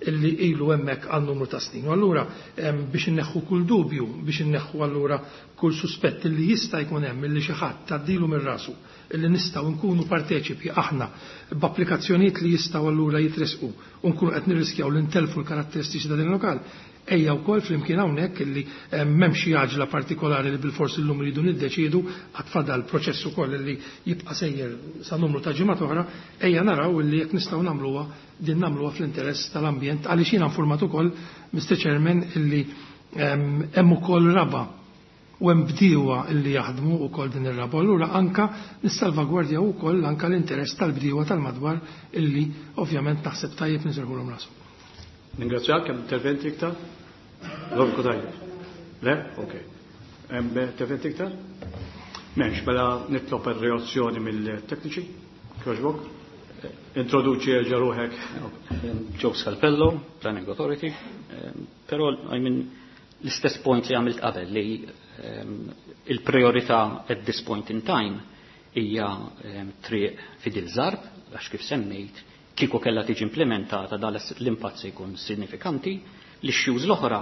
illi ilu hemmhekk għal numru ta' snin. U allura biex inneħħu kull dubju, biex inneħħu allura kull suspett illi jista' jkun hemm illi xi ħadd tgħaddilu minn rasu illi nistgħu nkunu parteċipi aħna b'applikazzjonijiet li jistgħu allura jitresqu u nkunu qed nirriskjaw li ntelfu l-karatteristiċi ta' din il-lokal, ejja wkoll flimkien hawnhekk illi m'hemm xi għaġla partikolari li bilfors illum rridu niddeċiedu, għad fadal proċess ukoll illi jibqa' sejjer sa numru ta' ġimgħat oħra, ejja naraw illi jekk nistgħu nagħmluha din, nagħmluha fl-interess tal-ambjent, għaliex jiena informat ukoll, Mr. Chairman, illi hemm ukoll raba u hemm bdiewa illi jaħdmu wkoll din ir-raba. Allura anka nissalvagwardja wkoll anka l-interess tal-bdiewa tal-madwar illi ovvjament naħseb tajjeb niserħulhom rashom. Ningrazzjak, hemm interventi iktar? Lord Cutajar. Le? Ok. Hemm interventi iktar? M'hemmx, mela nitlob ir-reazzjoni mill-tekniċi. Kjoġbok. Introduċi erġa' ruħek. Joe Scalpello, Planning Authority. Però, I mean, l-istess point li għamilt qabel li il-priorità at this point in time hija triq Fidil Zarb, għax kif semmejt, kieku kella tiġi implementata dal l-impatt se jkun sinifikanti. L-issues l-oħra,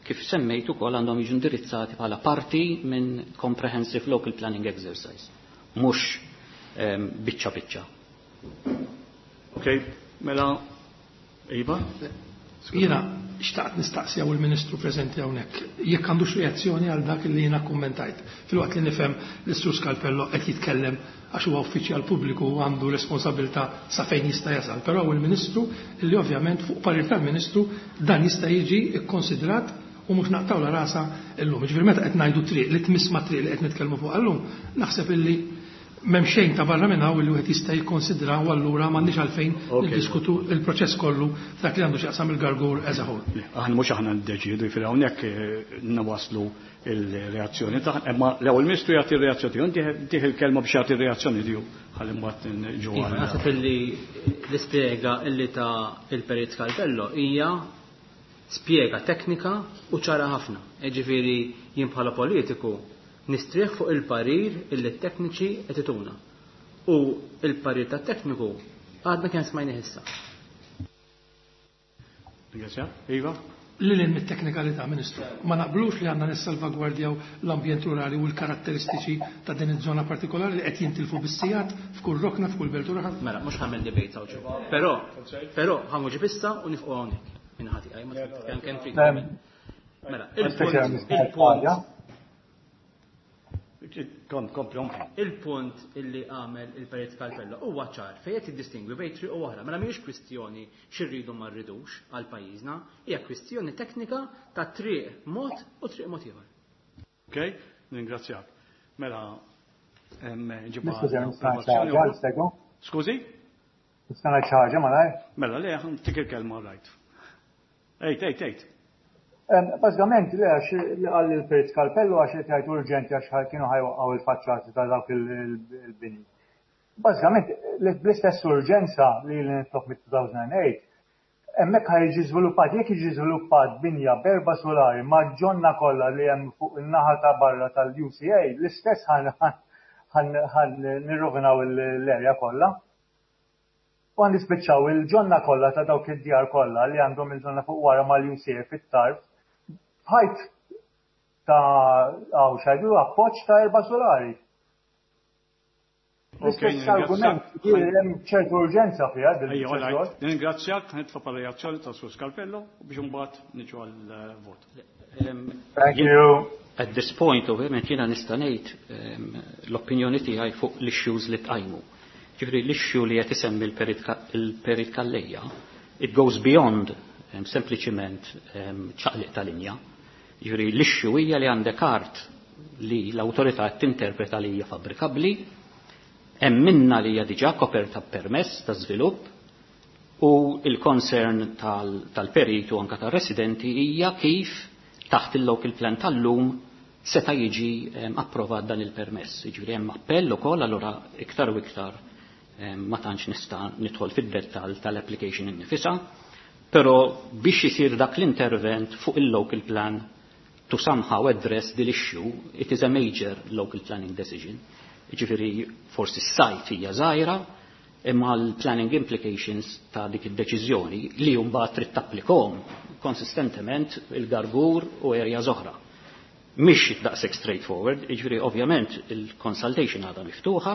kif semmejt ukoll, għandhom jiġu indirizzati bħala parti minn comprehensive local planning exercise, mhux biċċa biċċa. Ok, mela, Iva? Jiena xtaqt nistaqsi hawn il-Ministru preżenti hawnhekk jekk għandux reazzjoni għal dak li jiena kummentajt. Filwaqt li nifhem l-Sur Scalpello qed jitkellem għax huwa uffiċjal pubbliku u għandu responsabilità sa fejn jista' jasal, però hu l-Ministru li ovvjament fuq parir tal-Ministru dan jista' jiġi kkonsidrat u mhux naqtgħulha rasha llum. Jiġifieri meta qed ngħidu triq li tmiss mat-triq li qed nitkellmu fuqha llum, naħseb illi m'hemm xejn ta' barra minn hawn illi wieħed jista' jikkonsidra u allura m'għandniex għalfejn niddiskutu l-proċess kollu f'dak li għandu x'jaqsam il-Gargur as a whole. Aħna mhux aħna niddeċiedu, jiġifieri hawnhekk nawaslu il-reazzjoni tagħna, imma l-ewwel Ministru jagħti r-reazzjoni tiegħu, ntih il-kelma biex jagħti r-reazzjoni tiegħu ħalli mbagħad nġu Iva, għal. naħseb illi l-ispjega illi ta' il-Perit Calvello hija spjega teknika u ċara ħafna. Jiġifieri jien bħala politiku nistrieħ fuq il-parir illi t-tekniċi qed ituna. U il-parir tat-tekniku għadna kemm smajnih issa. Ringrazzja. Iva? Lil hinn mit-teknikalità, Ministru, ma naqblux li għandna nissalvagwardjaw l-ambjent rurali u l-karatteristiċi ta' din iż-żona partikolari li qed jintilfu bis-sigħat f'kull rokna, f'kull belt u raħal? Mela, mhux ħamel debate hawn ġewwa. Però, però ħa nwieġeb issa u nifqu hawnhekk. Minn ħati għaj, ma kemm kemm trid. Mela, il-punt, il-punt. Kom, kompli, kompli. Il-punt illi għamel il-Perit Calvello huwa ċar fejn qed jiddistingwi bejn triq u oħra. Mela mhijiex kwistjoni x'irridu ma rridux għal pajjiżna, hija kwistjoni teknika ta' triq mod u triq mod ieħor. Ok, ningrazzjak. Mela, ġibha Niskuża, nista' ngħid xi approvazzjoni ħaġa, Stego? Skużi? Nista' ngħid xi ħaġa malajr? Mela, le, tik il-kelma rajt. Ejt, ejt, ejt. Bażikament, le, għax li qal il-Perit Calvello għax qed jgħid urġenti għax kienu ħajwaqgħu il-faċċati ta' dawk il-bini. Bażikament, bl-istess urġenza li li nitlob mit-2008, hemmhekk ħaj jiġi żviluppat, jekk jiġi żviluppat binja b'erba' solari ma' ġonna kollha li hemm fuq in-naħa ta' barra tal-UCA, l-istess ħan nirrovinaw l-erja kollha. U għan nispiċċaw il-ġonna kollha ta' dawk id-djar kollha li għandhom il-ġonna fuq wara mal-UCA fit-tarf, ħajt ta' għaw xajdu appoġġ ta' erba' solari. Ok, L-istess ningrazzjak. argument, jiġifieri hemm ċertu urġenza fiha din Ejja, all right. il-ċertu. Ningrazzjak, nitfa' pa' reazzjoni ta' Sur Calvello u biex imbagħad niġu għall-vot. Thank you. At this point, ovvjament, jiena nista' ngħid l-opinjoni tiegħi fuq l-issues li tqajmu. Ġifieri l-issue li qed isemmi il-Perit Calleja, it goes beyond sempliċiment ċaqliq ta' linja. Ġifieri l-issue hija li għandek art li l-awtorità qed tinterpreta li hija fabbrikabbli, hemm minna li hija diġà koperta b'permess ta' żvilupp u il-concern tal-peritu anka tar-residenti hija kif taħt il-local plan tal-lum seta' jiġi approvat dan il-permess. Jiġifieri hemm appell ukoll, allura iktar u iktar ma tantx nista' nidħol fid-dettall tal-application innifisha, però biex isir dak l-intervent fuq il-local plan to somehow address the issue, it is a major local planning decision. Jiġifieri forsi s-site hija żgħira, imma l-planning implications ta' dik id-deċiżjoni li mbagħad trid tapplikhom konsistentement il-Gargur u areas oħra. Mhix daqshekk straightforward, jiġifieri ovvjament il-consultation għadha miftuħa,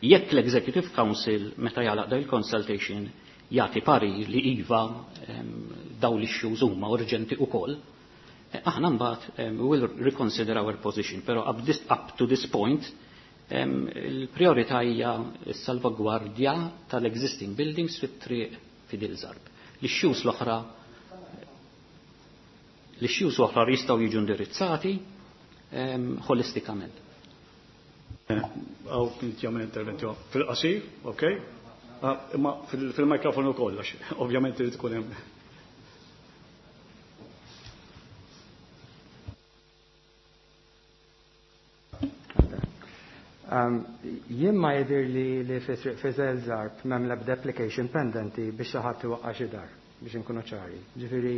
jekk l-Executive Council meta jagħlaq da il-consultation jagħti parir li iva daw l-issues huma urġenti ukoll, aħna mbagħad we will reconsider our position, però up to this point il-priorità hija s-salvagwardja tal-existing buildings fit-triq Fidel Zarb. L-issues l-oħra l-issues oħra jistgħu jiġu indirizzati holistikament. Għaw kien jagħmel interventi fil-qasir, ok? Imma fil-mikrofonu wkoll, għax ovvjament irid ikun hemm. Jien ma jidher li fi triq Fidel Zarb m'hemm l-ebda application pendenti biex xi ħadd iwaqqa' xi dar, biex inkunu ċari. Ġifieri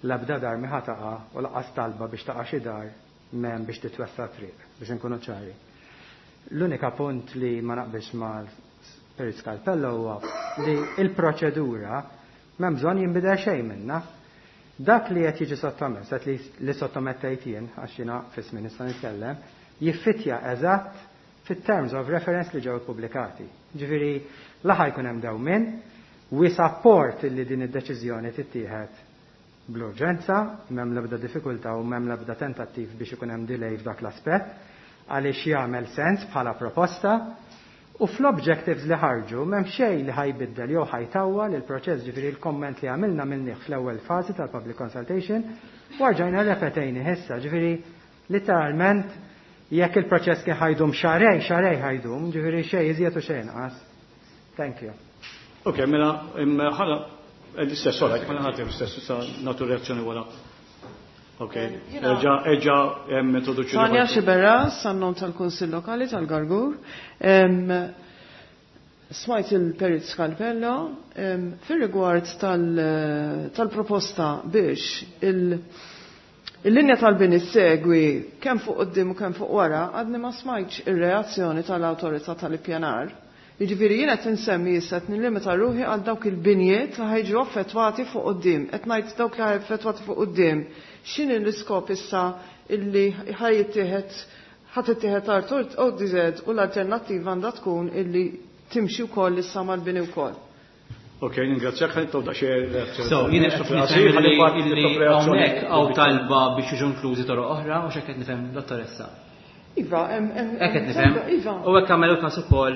l-ebda dar mi ħa taqa' u lanqas talba biex taqa' xi dar m'hemm biex titwessa' triq, biex inkunu ċari. L-unika punt li ma naqbilx ma' Perit Calvello huwa li il-proċedura m'hemm bżonn jinbidel xejn minnha. Dak li qed jiġi sottomess, qed li sottomettejt jien, għax jiena f'ismi nista' nitkellem, jiffitja eżatt fit-terms of reference li ġew ippubblikati. Ġifieri la ħa jkun hemm dewmien, we support li din id-deċiżjoni tittieħed bl-urġenza, m'hemm l-ebda diffikultà u m'hemm l-ebda tentattiv biex ikun hemm delay f'dak l-aspett, għaliex jagħmel sens bħala proposta. U fl-objectives li ħarġu m'hemm xejn li ħa jbiddel jew ħa jtawwal il-proċess, ġifieri l-komment li għamilna għamilnieh fl-ewwel fażi tal-public consultation u rġajna rrepetejnieh issa, ġifieri literalment jekk il-proċess kien ħa jdum xahrejn, xahrejn ħa jdum, ġifieri xejn iżjed u xejn inqas. Thank you. Ok, mela, ħala, l-istess, ora, mela ħadd l-istess, issa nagħtu reazzjoni wara. Ok, erġa, erġa, introduċi. Tanja Xiberras, għan-nom tal-Kunsill Lokali tal-Gargur. Smajt il-Perit Scalpello, fir-rigward tal-proposta biex il-linja tal-bini segwi kemm fuq quddiem u kemm fuq wara, għadni ma smajtx ir-reazzjoni tal-awtorità tal-ippjanar. Jiġifieri jien qed insemmi issa qed nillimita ruħi għal dawk il-binjiet li ħa jiġu affettwati fuq quddiem. Qed ngħid dawk li affettwati fuq quddiem. X'inhi l-iskop issa illi ħa jittieħed ħa tittieħed art ODZ u l-alternattiva għandha tkun illi timxi wkoll issa mal-bini wkoll. Ok, ningrazzjak, ħalli tawda xi reazzjoni. So, jien qed nifhem illi hawnhekk hawn talba biex jiġu inklużi toroq oħra u x'hekk qed nifhem, dottoressa. Iva, hemm Hekk qed nifhem. Iva. U hekk għamel każ ukoll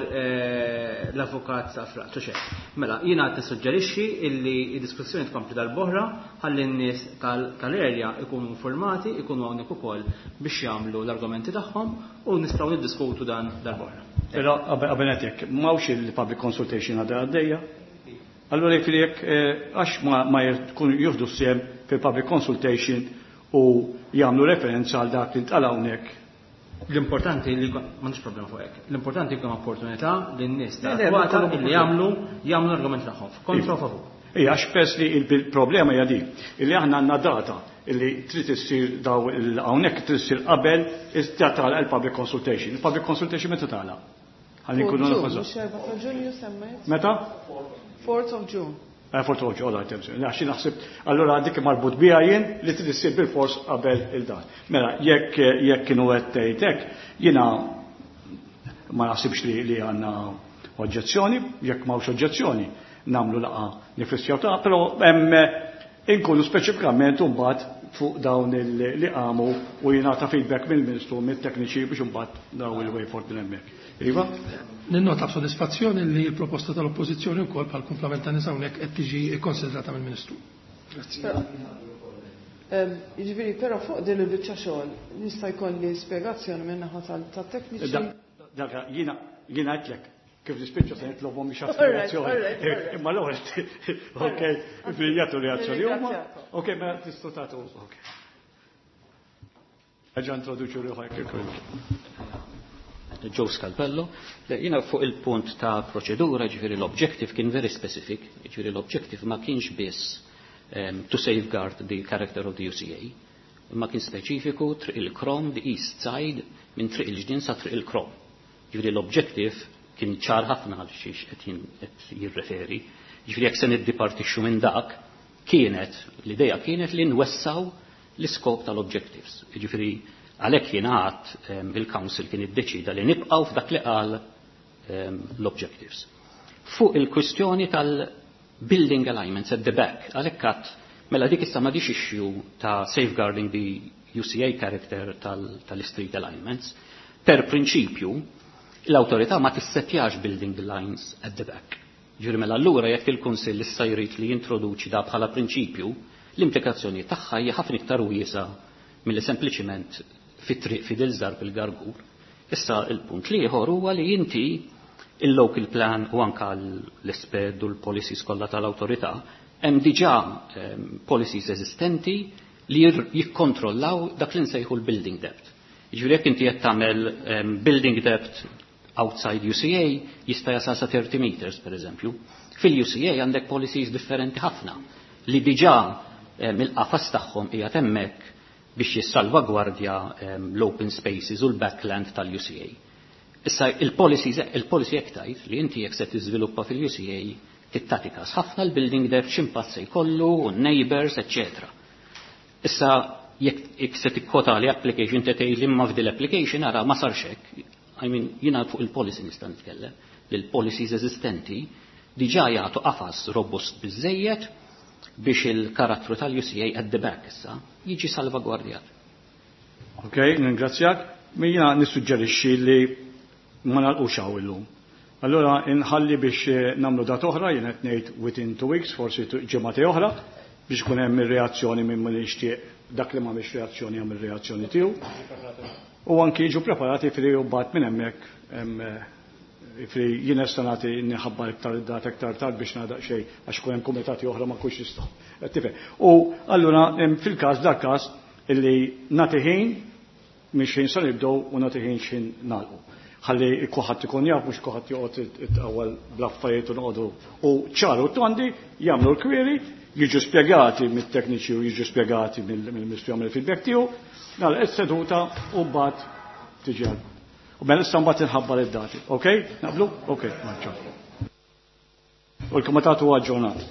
l-avukat Safra, xek. Mela, jiena qed nissuġġerixxi illi d-diskussjoni tkompli darb'oħra ħalli n-nies tal-erja ikunu informati, ikunu hawnhekk ukoll biex jagħmlu l-argumenti tagħhom u nistgħu niddiskutu dan darb'oħra. Però qabel ngħid m'hawnx il-public consultation għadha għaddejja. Allura jekk jekk għax ma jkunu jieħdu sehem fil-public consultation u jagħmlu referenza għal dak li ntqal hawnhekk. L-importanti li m'għandix problema fuq hekk. L-importanti jkun opportunità li n-nies Le, le, ta' ma illi jagħmlu l-argument tagħhom. Kontra u favur. Ija, għax pers li il-problema hija din, illi aħna għandna data illi trid issir daw hawnhekk trid issir qabel tagħlaq il-public consultation. Il-public consultation meta tagħlaq? Ħalli nkunu Fourth nafu June, mhux 4 ta' Ġunju semmejt? Meta? 4th of June. 4th of June, all right, għax naħseb, allura dik marbut biha jien li trid issir bil-fors qabel il-dan. Mela, jekk kienu qed tgħid hekk, jiena ma naħsibx li għandna oġġezzjoni, jekk m'hawnx oġġezzjoni, nagħmlu laqgħa nifissjaw ta' però hemm inkunu speċifikament imbagħad fuq dawn li qamu u jingħata feedback mill-Ministru, mit-tekniċi biex imbagħad daw il-way forward minn hemmhekk. Iva? Ninnota b'sodisfazzjoni li l-proposta tal-Oppożizzjoni wkoll bħal kumplament ta' nies hawnhekk qed tiġi kkonsidrata mill-Ministru. Grazzi. Jiġifieri, però fuq din il-biċċa xogħol nista' jkolli spjegazzjoni minn naħa tat-tekniċi. Dak, jiena għedtlek kif nispiċċa se nitlobhom biex jagħtu All right, reazzjoni. all right, all right. Imma l-ewwel, ok, jagħtu reazzjoni huma. Ringrazzjakom. Ok, mela tistgħu tagħtu, ok. Ġa introduċu ruħek ukoll. Joe Scalpello, le, jiena fuq il-punt ta' proċedura, ġifieri l-objective kien very specific, ġifieri l-objective ma kienx biss to safeguard the character of the UCA, ma kien speċifiku triq il-Krom, the east side, minn triq il-ġnien sa triq il-Krom. Ġifieri l-objective kien ċar ħafna għal xiex qed jirreferi. Ġifieri jekk se niddipartixxu minn dak, l-idea kienet li nwessaw l-iskop tal-objectives. Ġifieri għalhekk jien għad il-Council kien iddeċida li nibqgħu f'dak li qal l-objectives. Fuq il-kwistjoni tal-building alignments at the back, għalhekk għad mela dik issa m'għadix issue ta' safeguarding the UCA character tal-street alignments. Per prinċipju, l-awtorità ma tissettjax building lines at the back. Ġifieri mela allura jekk il-Kunsill issa jrid li jintroduċi da bħala prinċipju, l-implikazzjoni tagħha hija ħafna iktar wiesa' milli sempliċiment fit-triq Fidel Zarb il-Gargur. Issa il-punt l-ieħor huwa li inti il-local plan u anka l-isped u l-policies kollha tal-awtorità hemm diġà policies eżistenti li jikkontrollaw dak li nsejħu l-building depth. Jiġifieri jekk inti qed tagħmel building depth outside UCA jista' jasal sa 30 meters per eżempju. Fil-UCA għandek policies differenti ħafna li diġà il-qafas tagħhom qiegħed hemmhekk biex jissalvagwardja l-open spaces u l-backland tal-UCA. Issa il-policy hekk tgħid li inti jekk se tiżviluppa fil-UCA tittati każ ħafna l-building depth x'impatt se jkollu u n-neighbors, eċċetera. Issa jekk se tikkota li application te tgħid li imma f'dil application ara ma sarx hekk. Jiena fuq il-policy nista' nitkellem, li l-policies eżistenti diġà jagħtu qafas robust biżejjed biex il-karattru tal-UCA at the back issa jiġi salvagwardjat. Ok, ningrazzjak. Jiena nissuġġerixxi li ma nagħlqux hawn illum. Allora inħalli biex eh, nagħmlu dat oħra, jien qed ngħid within 2 weeks, forsi ġimgħa oħra, biex ikun hemm ir-reazzjoni minn min jixtieq dak li m'għamilx reazzjoni jagħmel reazzjoni tiegħu. U anki jiġu preparati fri u mbagħad minn hemmhekk eh, fri jien nista' nagħti nħabbar iktar id-data iktar tard biex nagħdaq xejn għax ikun hemm kumitati oħra ma nkunx nistgħu. Eh, tifhem. U allura fil-każ dak każ illi nagħti ħin minn xejn sa nibdew u nagħti ħin xejn nagħlqu. Ħalli kulħadd ikun jaf mhux kulħadd joqgħod itqawwel bl-affarijiet u noqogħdu. U ċaru tondi jagħmlu l-query, jiġu spjegati mit-tekniċi u jiġu spjegati mill-Ministru jagħmel il-feedback tiegħu, nagħlaq is-seduta u mbagħad tiġi għal. U mela issa mbagħad inħabbar id-dati. Ok? Naqblu? Ok, maċċa. U l-kumitat huwa aġġornat.